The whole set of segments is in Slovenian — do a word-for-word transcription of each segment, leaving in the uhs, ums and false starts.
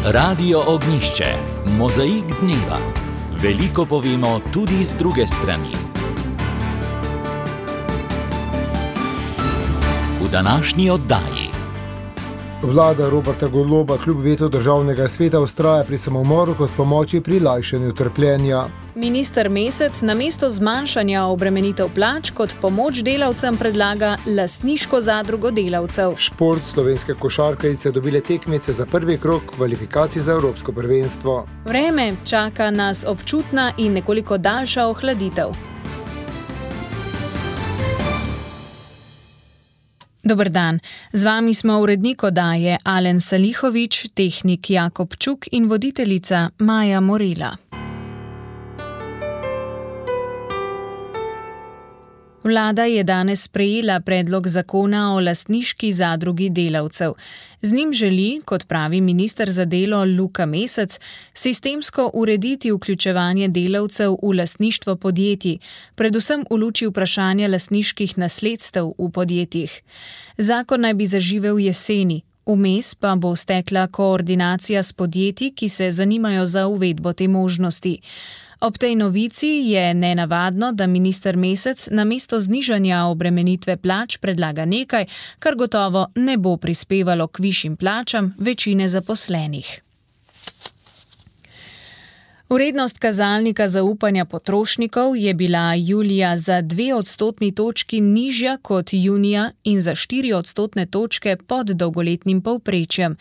Radio Ognišče, mozaik dneva. Veliko povemo tudi z druge strani. V današnji oddaji. Vlada Roberta Goloba kljub vetu državnega sveta vztraja pri samomoru kot pomoči pri lajšanju trpljenja. Minister Mesec namesto zmanjšanja obremenitev plač kot pomoč delavcem predlaga lastniško zadrugo delavcev. Šport, slovenske košarkarice dobile tekmice za prvi krog kvalifikacij za evropsko prvenstvo. Vreme, čaka nas občutna in nekoliko daljša ohladitev. Dober dan, z vami smo urednik oddaje Alen Salihovič, tehnik Jakob Čuk in voditeljica Maja Morila. Vlada je danes sprejela predlog zakona o lastniški zadrugi delavcev. Z njim želi, kot pravi minister za delo Luka Mesec, sistemsko urediti vključevanje delavcev v lastništvo podjetij, predvsem v luči vprašanja lastniških nasledstev v podjetjih. Zakon naj bi zaživel jeseni, vmes pa bo stekla koordinacija s podjetji, ki se zanimajo za uvedbo te možnosti. Ob tej novici je nenavadno, da minister Mesec namesto znižanja obremenitve plač predlaga nekaj, kar gotovo ne bo prispevalo k višjim plačam večine zaposlenih. Vrednost kazalnika zaupanja potrošnikov je bila julija za dve odstotni točki nižja kot junija in za štiri odstotne točke pod dolgoletnim povprečjem.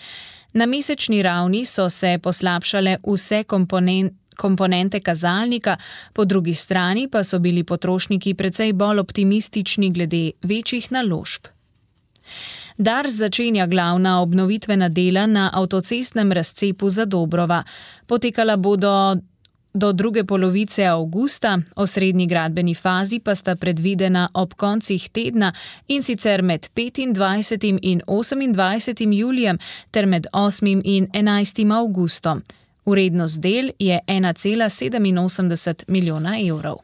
Na mesečni ravni so se poslabšale vse komponente, komponente kazalnika, po drugi strani pa so bili potrošniki precej bolj optimistični glede večjih naložb. Dars začenja glavna obnovitvena dela na avtocestnem razcepu Zadobrova. Potekala bodo do druge polovice avgusta, osrednji gradbeni fazi pa sta predvidena ob koncih tedna in sicer med petindvajsetim in osemindvajsetim julijem ter med osmim in enajstim avgustom. Vrednost del je ena cela sedeminosemdeset milijona evrov.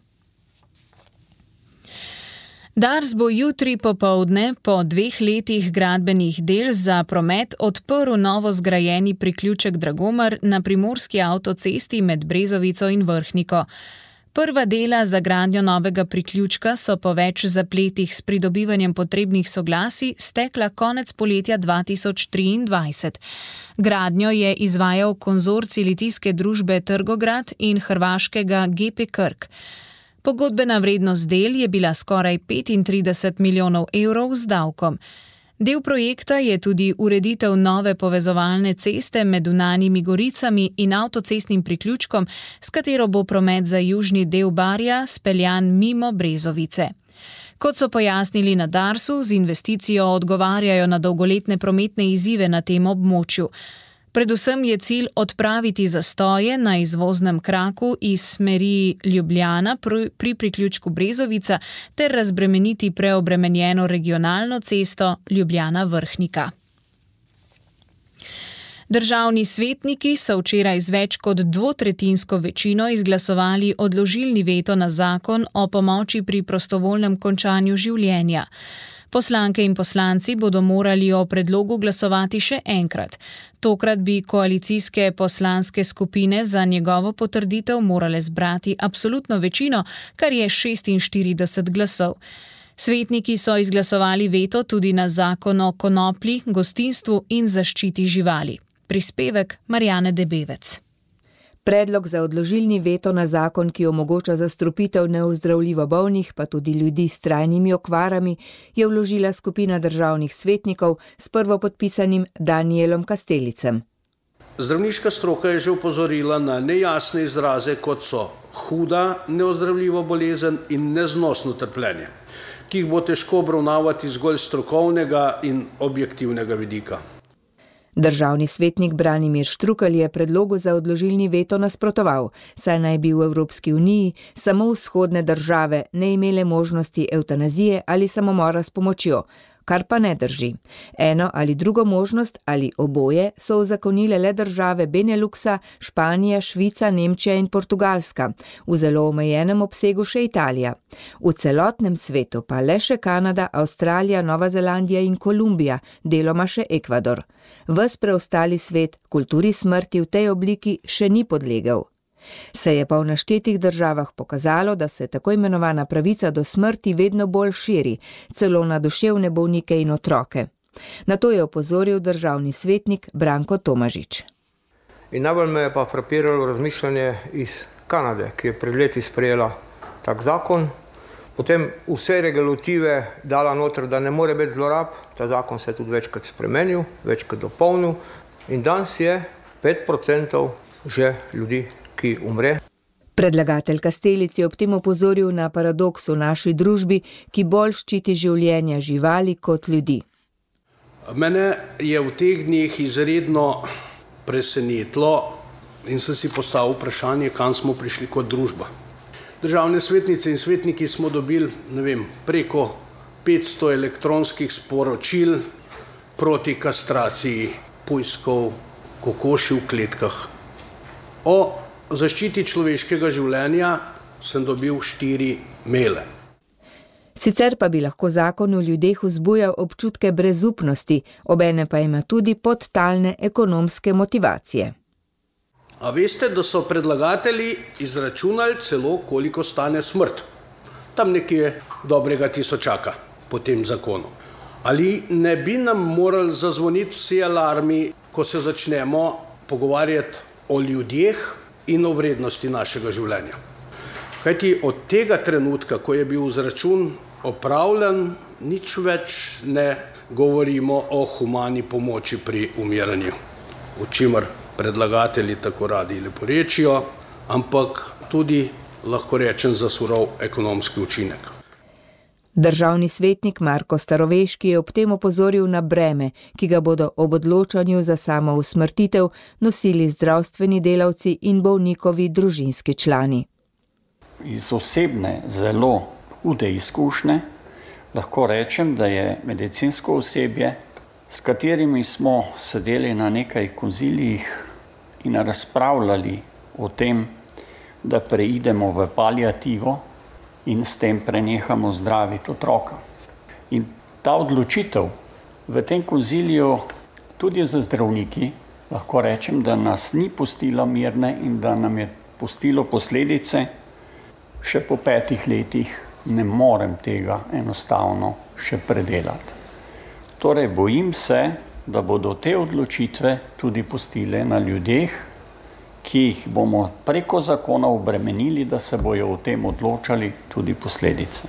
Dars bo jutri popoldne po dveh letih gradbenih del za promet odprl novo zgrajeni priključek Dragomar na primorski avtocesti med Brezovico in Vrhniko. Prva dela za gradnjo novega priključka so po več zapletih s pridobivanjem potrebnih soglasij stekla konec poletja dva tisoč triindvajset. Gradnjo je izvajal konzorcij litijske družbe Trgograd in hrvaškega G P Krk. Pogodbena vrednost del je bila skoraj petintrideset milijonov evrov z davkom. Del projekta je tudi ureditev nove povezovalne ceste med Vnanjimi Goricami in avtocestnim priključkom, s katero bo promet za južni del Barja speljan mimo Brezovice. Kot so pojasnili na Darsu, z investicijo odgovarjajo na dolgoletne prometne izzive na tem območju. Predvsem je cilj odpraviti zastoje na izvoznem kraku iz smeri Ljubljana pri priključku Brezovica ter razbremeniti preobremenjeno regionalno cesto Ljubljana-Vrhnika. Državni svetniki so včeraj z več kot dvotretjinsko večino izglasovali odložilni veto na zakon o pomoči pri prostovoljnem končanju življenja. Poslanke in poslanci bodo morali o predlogu glasovati še enkrat. Tokrat bi koalicijske poslanske skupine za njegovo potrditev morale zbrati absolutno večino, kar je šestinštirideset glasov. Svetniki so izglasovali veto tudi na zakon o konoplji, gostinstvu in zaščiti živali. Prispevek Marjane Debevec. Predlog za odložilni veto na zakon, ki omogoča zastrupitev neozdravljivo bolnih, pa tudi ljudi s trajnimi okvarami, je vložila skupina državnih svetnikov s prvopodpisanim Danielom Kastelicem. Zdravniška stroka je že opozorila na nejasne izraze, kot so huda neozdravljiva bolezen in neznosno trpljenje, ki jih bo težko obravnavati zgolj strokovnega in objektivnega vidika. Državni svetnik Branimir Štrukelj je predlogu za odložilni veto nasprotoval, saj naj bi v Evropski uniji samo vzhodne države ne imele možnosti evtanazije ali samomora s pomočjo. kar pa ne drži. Eno ali drugo možnost ali oboje so uzakonile le države Beneluxa, Španija, Švica, Nemčija in Portugalska, v zelo omejenem obsegu še Italija. V celotnem svetu pa le še Kanada, Avstralija, Nova Zelandija in Kolumbija, deloma še Ekvador. Ves preostali svet kulturi smrti v tej obliki še ni podlegel. Se je pa v naštetih državah pokazalo, da se tako imenovana pravica do smrti vedno bolj širi, celo na duševne bolnike in otroke. Na to je opozoril državni svetnik Branko Tomažič. In najbolj me je pa frapiralo razmišljanje iz Kanade, ki je pred leti sprejela tak zakon, potem vse regulative dala noter, da ne more biti zlorab, ta zakon se je tudi večkrat spremenil, večkrat dopolnil in danes je pet procentov že ljudi, ki umre. Predlagatelj Kastelic je ob tem opozoril na paradoks v naši družbi, ki bolj ščiti življenja živali kot ljudi. Mene je v teh dneh izredno presenetilo in sem si postavil vprašanje, kam smo prišli kot družba. Državne svetnice in svetniki smo dobili, ne vem, preko petsto elektronskih sporočil proti kastraciji pujskov, kokoši v kletkah. O zaščiti človeškega življenja sem dobil štiri maile. Sicer pa bi lahko zakon v ljudeh vzbujal občutke brezupnosti, obene pa ima tudi podtalne ekonomske motivacije. A veste, da so predlagatelji izračunali celo, koliko stane smrt? Tam nekje dobrega tisočaka po tem zakonu. Ali ne bi nam morali zazvoniti vsi alarmi, ko se začnemo pogovarjati o ljudeh in o vrednosti našega življenja? Kajti od tega trenutka, ko je bil izračun opravljen, nič več ne govorimo o humani pomoči pri umiranju, o čimer predlagatelji tako radi leporečijo, ampak tudi, lahko rečem, za surov ekonomski učinek. Državni svetnik Marko Staroveški je ob tem opozoril na breme, ki ga bodo ob odločanju za samo usmrtitev nosili zdravstveni delavci in bolnikovi družinski člani. Iz osebne, zelo hude izkušnje lahko rečem, da je medicinsko osebje, s katerimi smo sedeli na nekaj konzilijih in razpravljali o tem, da preidemo v paliativo in s tem prenehamo zdraviti otroka. In ta odločitev v tem konziliju tudi za zdravniki, lahko rečem, da nas ni pustila mirne in da nam je pustilo posledice. Še po petih letih ne morem tega enostavno še predelati. Torej bojim se, da bodo te odločitve tudi pustile na ljudeh, ki jih bomo preko zakona obremenili, da se bojo o tem odločali tudi posledice.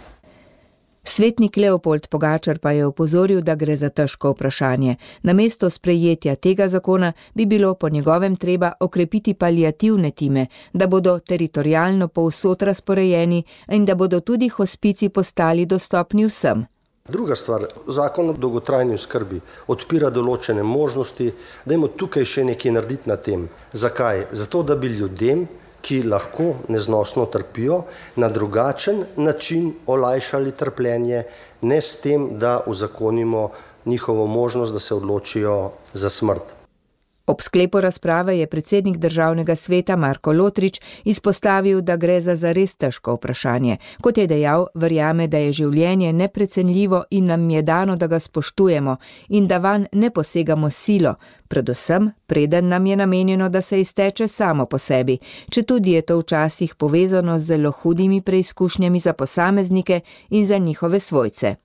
Svetnik Leopold Pogačar pa je opozoril, da gre za težko vprašanje. Namesto sprejetja tega zakona bi bilo po njegovem treba okrepiti paliativne time, da bodo teritorialno povsod razporejeni in da bodo tudi hospici postali dostopni vsem. Druga stvar, zakon o dolgotrajni oskrbi odpira določene možnosti, dajmo tukaj še nekaj narediti na tem. Zakaj? Zato, da bi ljudem, ki lahko neznosno trpijo, na drugačen način olajšali trpljenje, ne s tem, da uzakonimo njihovo možnost, da se odločijo za smrt. Ob sklepu razprave je predsednik državnega sveta Marko Lotrič izpostavil, da gre za zares težko vprašanje. Kot je dejal, verjame, da je življenje neprecenljivo in nam je dano, da ga spoštujemo in da vanj ne posegamo silo, predvsem preden nam je namenjeno, da se izteče samo po sebi, četudi je to včasih povezano z zelo hudimi preizkušnjami za posameznike in za njihove svojce.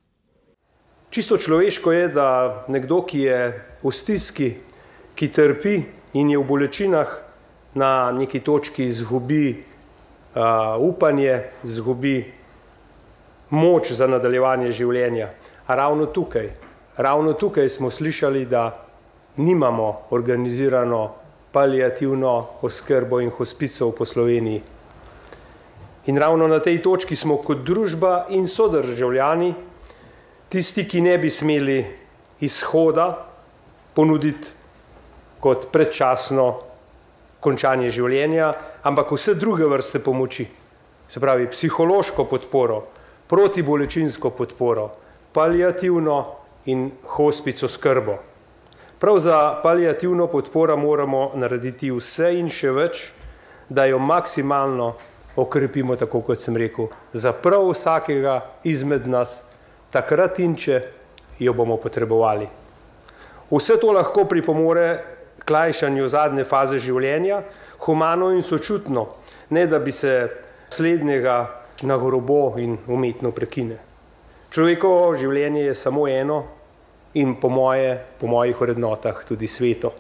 Čisto človeško je, da nekdo, ki je v stiski, ki trpi in je v bolečinah, na neki točki izgubi uh, upanje, izgubi moč za nadaljevanje življenja. A ravno tukaj, ravno tukaj smo slišali, da nimamo organizirano paliativno oskrbo in hospicov po Sloveniji. In ravno na tej točki smo kot družba in sodržavljani tisti, ki ne bi smeli izhoda ponuditi kot predčasno končanje življenja, ampak vse druge vrste pomoči. Se pravi, psihološko podporo, protibolečinsko podporo, paliativno in hospic oskrbo. Prav za paliativno podporo moramo narediti vse in še več, da jo maksimalno okrepimo, tako kot sem rekel, za prav vsakega izmed nas, takrat in če jo bomo potrebovali. Vse to lahko pripomore k lajšanju zadnje faze življenja, humano in sočutno, ne da bi se slednjega na grobo in umetno prekine. Človekovo življenje je samo eno in po moje, po mojih vrednotah tudi sveto.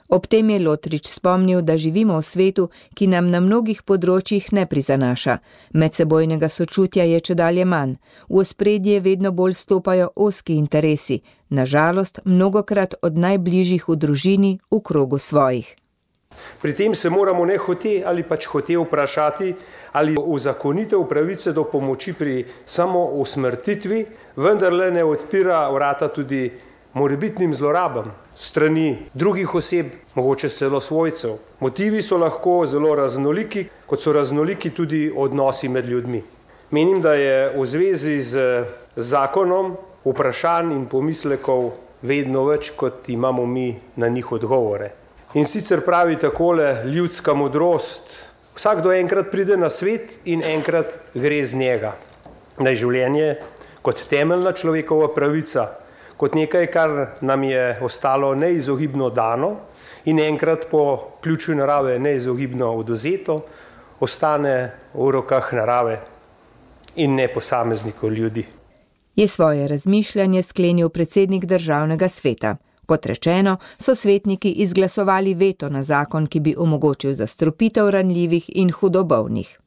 Ob tem je Lotrič spomnil, da živimo v svetu, ki nam na mnogih področjih ne prizanaša. Medsebojnega sočutja je čedalje manj. V ospredje vedno bolj stopajo ozki interesi, na žalost mnogokrat od najbližjih v družini, v krogu svojih. Pri tem se moramo ne hote ali pač hote vprašati, ali uzakonitev pravice do pomoči pri samo usmrtitvi vendarle ne odpira vrata tudi morebitnim zlorabam strani drugih oseb, mogoče celo svojcev. Motivi so lahko zelo raznoliki, kot so raznoliki tudi odnosi med ljudmi. Menim, da je v zvezi z zakonom vprašanj in pomislekov vedno več, kot imamo mi na njih odgovore. In sicer pravi takole ljudska modrost: vsakdo enkrat pride na svet in enkrat gre z njega. Da je življenje kot temeljna človekova pravica, kot nekaj, kar nam je ostalo neizogibno dano in enkrat po ključu narave neizogibno odvzeto, ostane v rokah narave in ne posameznikov ljudi. Je svoje razmišljanje sklenil predsednik Državnega sveta. Kot rečeno, so svetniki izglasovali veto na zakon, ki bi omogočil zastrupitev ranljivih in hudobolnih.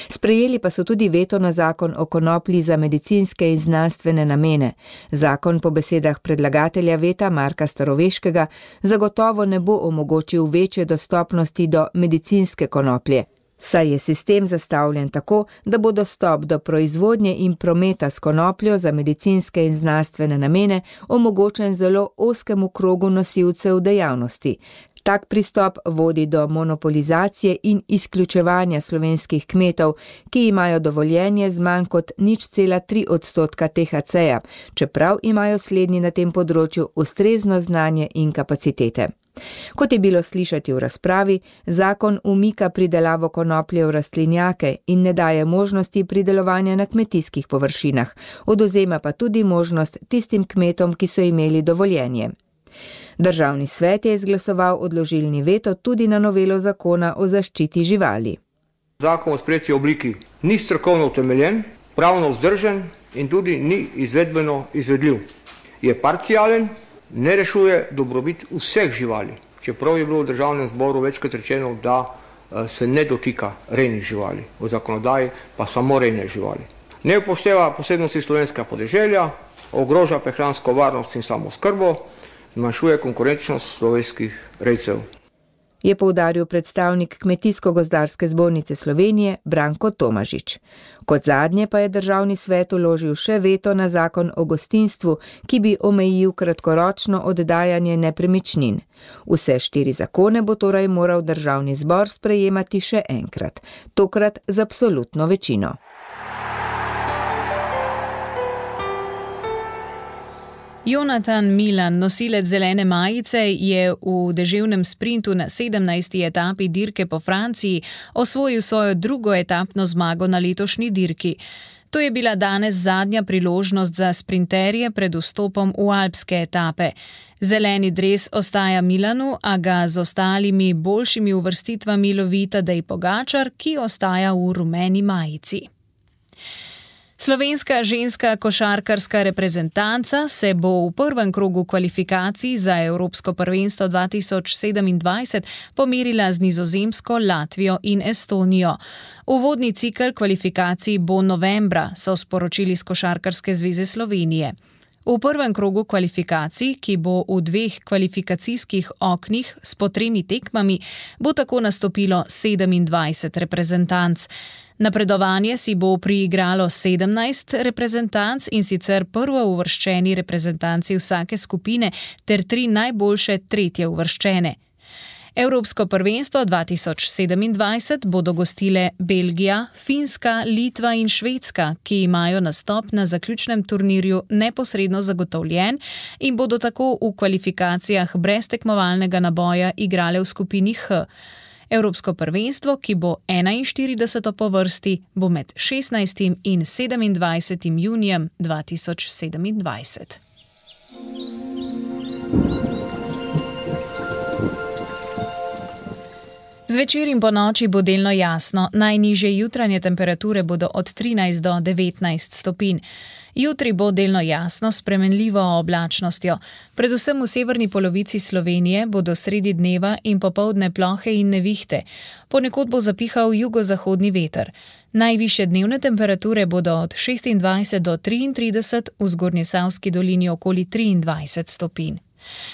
Sprejeli pa so tudi veto na zakon o konoplji za medicinske in znanstvene namene. Zakon po besedah predlagatelja veta Marka Staroveškega zagotovo ne bo omogočil večje dostopnosti do medicinske konoplje, saj je sistem zastavljen tako, da bo dostop do proizvodnje in prometa s konopljo za medicinske in znanstvene namene omogočen zelo ozkemu krogu nosilcev dejavnosti. Tak pristop vodi do monopolizacije in izključevanja slovenskih kmetov, ki imajo dovoljenje z manj kot nič cela tri odstotka T H C-ja, čeprav imajo slednji na tem področju ustrezno znanje in kapacitete. Kot je bilo slišati v razpravi, zakon umika pridelavo konoplje v rastlinjake in ne daje možnosti pridelovanja na kmetijskih površinah, odvzema pa tudi možnost tistim kmetom, ki so imeli dovoljenje. Državni svet je izglasoval odložilni veto tudi na novelo zakona o zaščiti živali. Zakon v sprejeti obliki ni strokovno utemeljen, pravno vzdržen in tudi ni izvedbeno izvedljiv. Je parcialen, ne rešuje dobrobit vseh živali, čeprav je bilo v Državnem zboru večkrat rečeno, da se ne dotika rejnih živali, v zakonodaji pa samo rejne živali. Ne upošteva posebnosti slovenskega podeželja, ogroža prehransko varnost in samooskrbo, zmanjšuje konkurenčnost slovenskih rejcev. Je poudaril predstavnik Kmetijsko-gozdarske zbornice Slovenije Branko Tomažič. Kot zadnje pa je Državni svet vložil še veto na zakon o gostinstvu, ki bi omejil kratkoročno oddajanje nepremičnin. Vse štiri zakone bo torej moral Državni zbor sprejemati še enkrat, tokrat z absolutno večino. Jonatan Milan, nosilec zelene majice, je v deževnem sprintu na sedemnajsti etapi dirke po Franciji osvojil svojo drugo etapno zmago na letošnji dirki. To je bila danes zadnja priložnost za sprinterje pred vstopom v alpske etape. Zeleni dres ostaja Milanu, a ga z ostalimi boljšimi uvrstitvami lovi Tadej Pogačar, ki ostaja v rumeni majici. Slovenska ženska košarkarska reprezentanca se bo v prvem krogu kvalifikacij za Evropsko prvenstvo dva tisoč sedemindvajset pomerila z Nizozemsko, Latvijo in Estonijo. Uvodni cikel kvalifikacij bo novembra, so sporočili z Košarkarske zveze Slovenije. V prvem krogu kvalifikacij, ki bo v dveh kvalifikacijskih oknih s po tremi tekmami, bo tako nastopilo sedemindvajset reprezentanc. Napredovanje si bo priigralo sedemnajst reprezentanc, in sicer prvo uvrščeni reprezentanci vsake skupine ter tri najboljše tretje uvrščene. Evropsko prvenstvo dva tisoč sedemindvajset bodo gostile Belgija, Finska, Litva in Švedska, ki imajo nastop na zaključnem turnirju neposredno zagotovljen in bodo tako v kvalifikacijah brez tekmovalnega naboja igrale v skupini H. Evropsko prvenstvo, ki bo enainštirideseto po vrsti, bo med šestnajstim in sedemindvajsetim junijem dva tisoč sedemindvajset. Zvečer in po noči bo delno jasno, najnižje jutranje temperature bodo od trinajst do devetnajst stopinj. Jutri bo delno jasno s spremenljivo oblačnostjo. Predvsem v severni polovici Slovenije bodo sredi dneva in popoldne plohe in nevihte. Ponekod bo zapihal jugozahodni veter. Najvišje dnevne temperature bodo od šestindvajset do triintrideset, v Zgornjesavski dolini okoli triindvajset stopinj.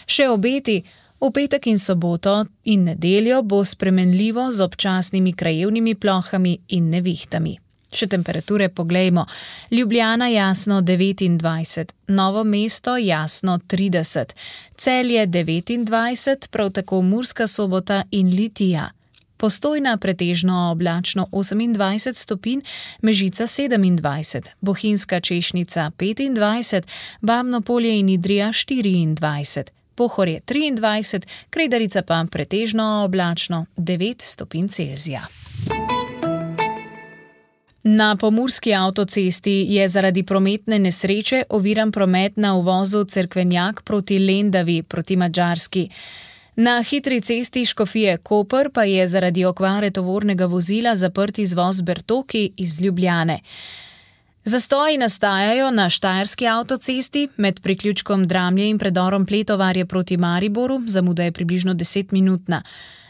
Še obeti. V petek in soboto in nedeljo bo spremenljivo z občasnimi krajevnimi plohami in nevihtami. Še temperature poglejmo. Ljubljana jasno devetindvajset, Novo mesto jasno trideset, Celje devetindvajset, prav tako Murska Sobota in Litija. Postojna pretežno oblačno osemindvajset stopinj, Mežica sedemindvajset, Bohinjska Češnica petindvajset, Babno Polje in Idrija štiriindvajset. Pohorje triindvajset, Kredarica pa pretežno oblačno devet stopinj Celzija. Na pomurski avtocesti je zaradi prometne nesreče oviran promet na uvozu Cerkvenjak proti Lendavi proti Madžarski. Na hitri cesti Škofije-Koper pa je zaradi okvare tovornega vozila zaprt izvoz Bertoki iz Ljubljane. Zastoji nastajajo na štajerski avtocesti med priključkom Dramlje in predorom Pletovarje proti Mariboru, zamuda je približno desetminutna.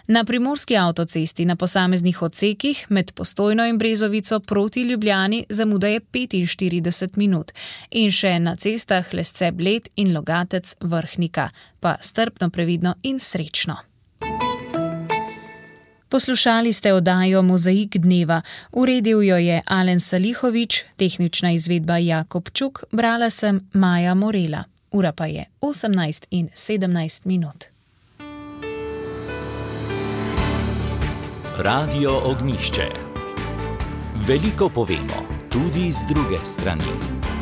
Na primorski avtocesti na posameznih odsekih med Postojno in Brezovico proti Ljubljani zamuda je petinštirideset minut. In še na cestah Lesce-Bled in Logatec-Vrhnika. Pa strpno, previdno in srečno. Poslušali ste oddajo Mozaik dneva. Uredil jo je Alen Salihovič, tehnična izvedba Jakob Čuk, brala sem Maja Morela. Ura pa je osemnajst in sedemnajst minut. Radio Ognjišče. Veliko povemo, tudi z druge strani.